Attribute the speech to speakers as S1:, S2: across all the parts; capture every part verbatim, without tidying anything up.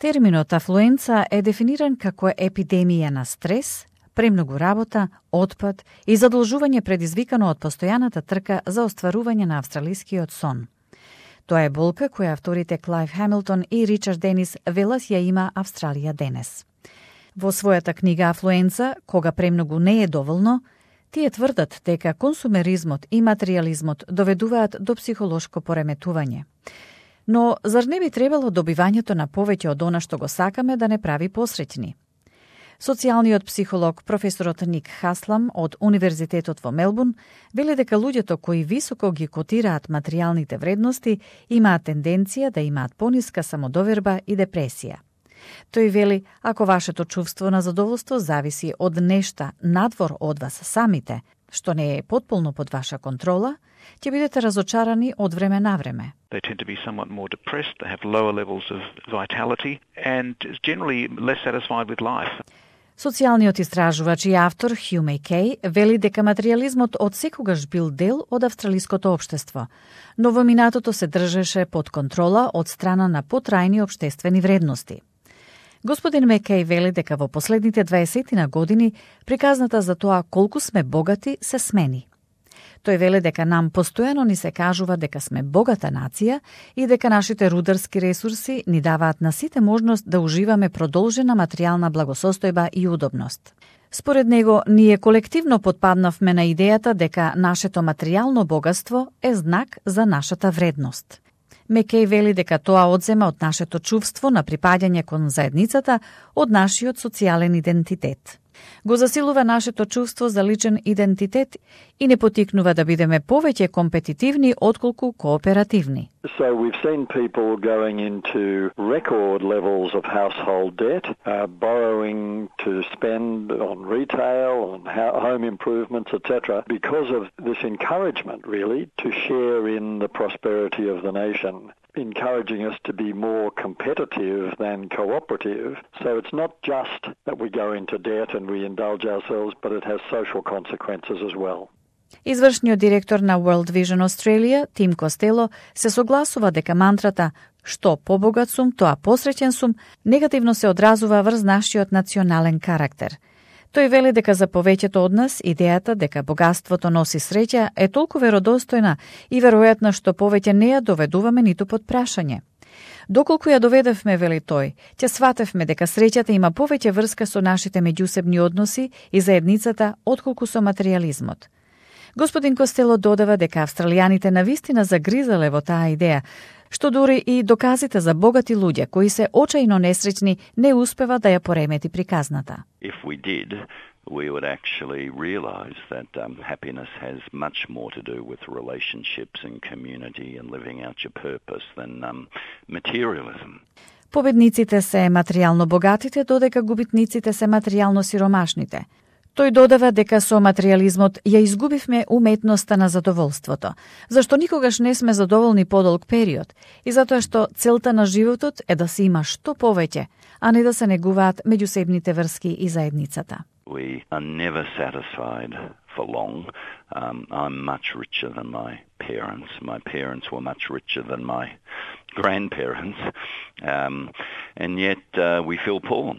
S1: Терминот афлуенца е дефиниран како епидемија на стрес, премногу работа, отпад и задолжување предизвикано од постојаната трка за остварување на австралискиот сон. Тоа е болка која авторите Клайв Хамилтон и Ричард Денис велат ја има Австралија денес. Во својата книга Афлуенца, кога премногу не е доволно, тие тврдат дека консумеризмот и материјализмот доведуваат до психолошко пореметување. Но зар не би требало добивањето на повеќе од она што го сакаме да не прави посреќни? Социјалниот психолог професорот Ник Хаслам од Универзитетот во Мелбурн вели дека луѓето кои високо ги котираат материјалните вредности имаат тенденција да имаат пониска самодоверба и депресија. Тој вели, ако вашето чувство на задоволство зависи од нешта надвор од вас самите, што не е потполно под ваша контрола, ќе бидете разочарани од време на време.
S2: They tend to be somewhat more depressed, they have lower levels of vitality and generally less satisfied with life.
S1: Социјалниот истражувач и автор Хју Мејкеј вели дека материјализмот од секогаш бил дел од австралиското општество, но во минатото се држеше под контрола од страна на потрајни општествени вредности. Господин Мекеј вели дека во последните дваесет години приказната за тоа колку сме богати се смени. Тој веле дека нам постојано ни се кажува дека сме богата нација и дека нашите рударски ресурси ни даваат на сите можност да уживаме продолжена материјална благосостојба и удобност. Според него, ние колективно потпаднавме на идејата дека нашето материјално богатство е знак за нашата вредност. Мекеј вели дека тоа одзема од нашето чувство на припаѓање кон заедницата, од нашиот социјален идентитет. Го засилува нашето чувство за личен идентитет и не потикнува да бидеме повеќе компетитивни отколку кооперативни.
S3: So we've seen people going into record levels of household debt, uh, borrowing to spend on retail, on home improvements, et cetera, because of this encouragement, really, to share in the prosperity of the nation, encouraging us to be more competitive than cooperative. So it's not just that we go into debt and we indulge ourselves, but it has social consequences as well.
S1: Извршниот директор на World Vision Australia, Тим Костело, се согласува дека мантрата «Што побогат сум, тоа посреќен сум» негативно се одразува врз нашиот национален карактер. Тој вели дека за повеќето од нас идејата дека богатството носи среќа е толку веродостојна и веројатна што повеќе не ја доведуваме ниту под прашање. Доколку ја доведевме, вели тој, ќе сватевме дека среќата има повеќе врска со нашите меѓусебни односи и заедницата отколку со материјализмот. Господин Костело додава дека австралијаните навистина загризале во таа идеја, што дури и доказите за богати луѓе кои се очајно несреќни не успева да ја поремети приказната.
S4: If we did, we would actually realize that um, happiness has much more to do with relationships and community and living out your purpose than um, materialism.
S1: Победниците се материјално богатите, додека губитниците се материјално сиромашните. Тој додава дека со материјализмот ја изгубивме уметноста на задоволството, зашто никогаш не сме задоволни подолг период и затоа што целта на животот е да се има што повеќе, а не да се негуваат меѓусебните врски и заедницата.
S4: We are never satisfied for long. Um, I'm much richer than my parents. My parents were much richer than my grandparents. Um, and yet uh, we feel poor.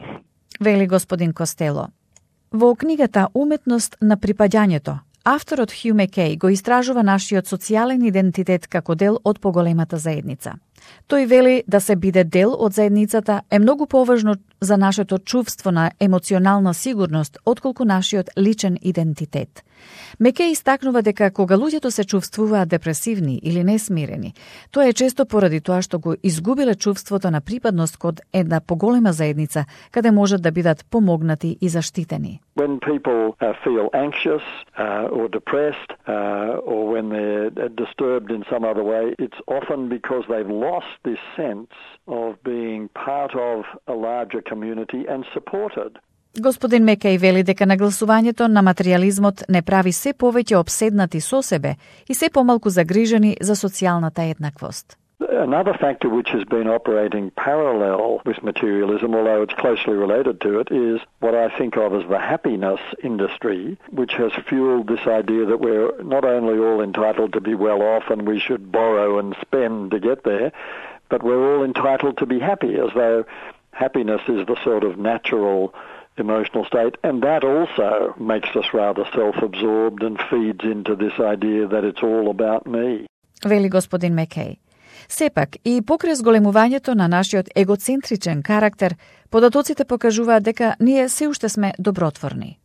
S1: Вели господин Костело. Во книгата Уметност на припаѓањето, авторот Хју Мекеј го истражува нашиот социјален идентитет како дел од поголемата заедница. Тој вели да се биде дел од заедницата е многу поважно за нашето чувство на емоционална сигурност отколку нашиот личен идентитет. Мекеј истакнува дека кога луѓето се чувствуваат депресивни или несмирени, тоа е често поради тоа што го изгубиле чувството на припадност кон една поголема заедница, каде можат да бидат помогнати и заштитени.
S3: When people uh, feel anxious uh, or depressed uh, or when they're disturbed in some other way, it's often because they've lost this sense of being part of a larger community and supported.
S1: Господин Мекеј вели дека нагласувањето на материјализмот не прави се повеќе обседнати со себе и се помалку загрижени за социјалната еднаквост.
S3: Another factor which has been operating parallel with materialism, although it's closely related to it, is what I think of as the happiness industry, which has fueled this idea that we're not only all entitled to be well off and we should borrow and spend to get there, but we're all entitled to be happy, as though happiness is the sort of natural emotional state, and that also makes us rather self-absorbed and feeds into this idea that it's all about me.
S1: Вели господин Маккей. Сепак, и покрај зголемувањето на нашиот егоцентричен карактер, податоците покажуваат дека ние се уште сме добротворни.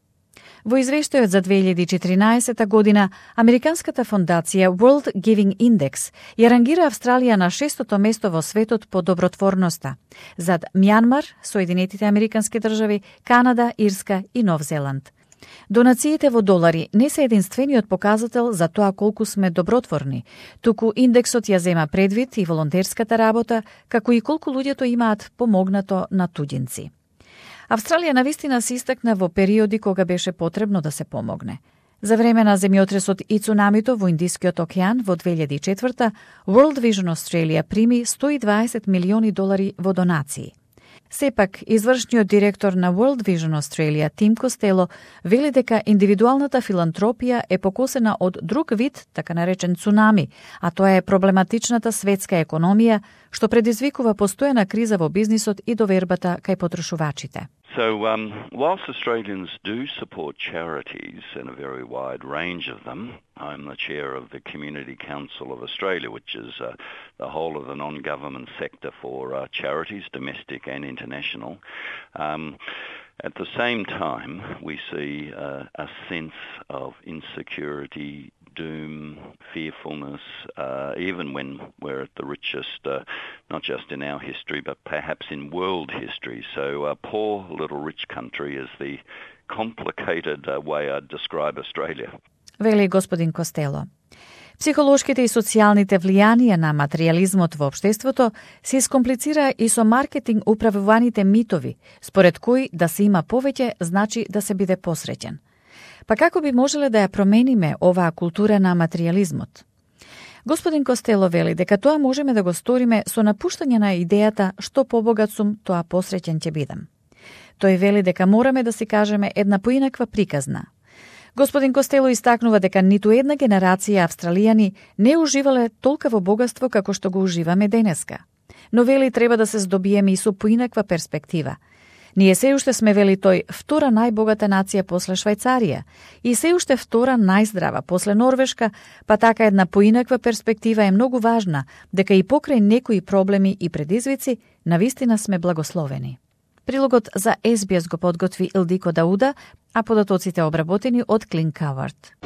S1: Во извештајот за две илјади и четиринаесета година, Американската фондација World Giving Index ја рангира Австралија на шестото место во светот по добротворноста, зад Мјанмар, Соединетите Американски држави, Канада, Ирска и Нов Зеланд. Донациите во долари не се единствениот показател за тоа колку сме добротворни, туку индексот ја зема предвид и волонтерската работа, како и колку луѓето имаат помогнато на туѓинци. Австралија навистина се истакна во периоди кога беше потребно да се помогне. За време на земјотресот и цунамито во Индискиот океан во две илјади и четврта, World Vision Australia прими сто и дваесет милиони долари во донации. Сепак, извршниот директор на World Vision Australia, Тим Костело, вели дека индивидуалната филантропија е покосена од друг вид, така наречен цунами, а тоа е проблематичната светска економија, што предизвикува постојана криза во бизнисот и довербата кај потрошувачите.
S4: So, um, whilst Australians do support charities and a very wide range of them, I'm the chair of the Community Council of Australia, which is uh, the whole of the non-government sector for uh, charities, domestic and international. Um, at the same time, we see uh, a sense of insecurity, doom, fearfulness, uh, even when we're at the richest, uh, not just in our history, but perhaps in world history. So a poor little rich country is the complicated uh, way I'd describe Australia.
S1: Вели господин Костело. Психолошките и социјалните влијанија на материјализмот во општеството се искомплицира и со маркетинг управуваните митови, според кои да се има повеќе значи да се биде посреќен. Па како би можеле да ја промениме оваа култура на материјализмот? Господин Костело вели дека тоа можеме да го сториме со напуштање на идејата што побогат сум, тоа посреќен ќе бидам. Тој вели дека мораме да си кажеме една поинаква приказна. Господин Костело истакнува дека ниту една генерација австралијани не уживале толкаво богатство како што го уживаме денеска. Но вели треба да се здобиеме и со поинаква перспектива. Ние се уште сме, вели тој, втора најбогата нација после Швајцарија и се уште втора најздрава после Норвешка, па така една поинаква перспектива е многу важна, дека и покрај некои проблеми и предизвици, навистина сме благословени. Прилогот за Ес Би Ес го подготви Илдико Дауда, а податоците обработени од Клин Кавард.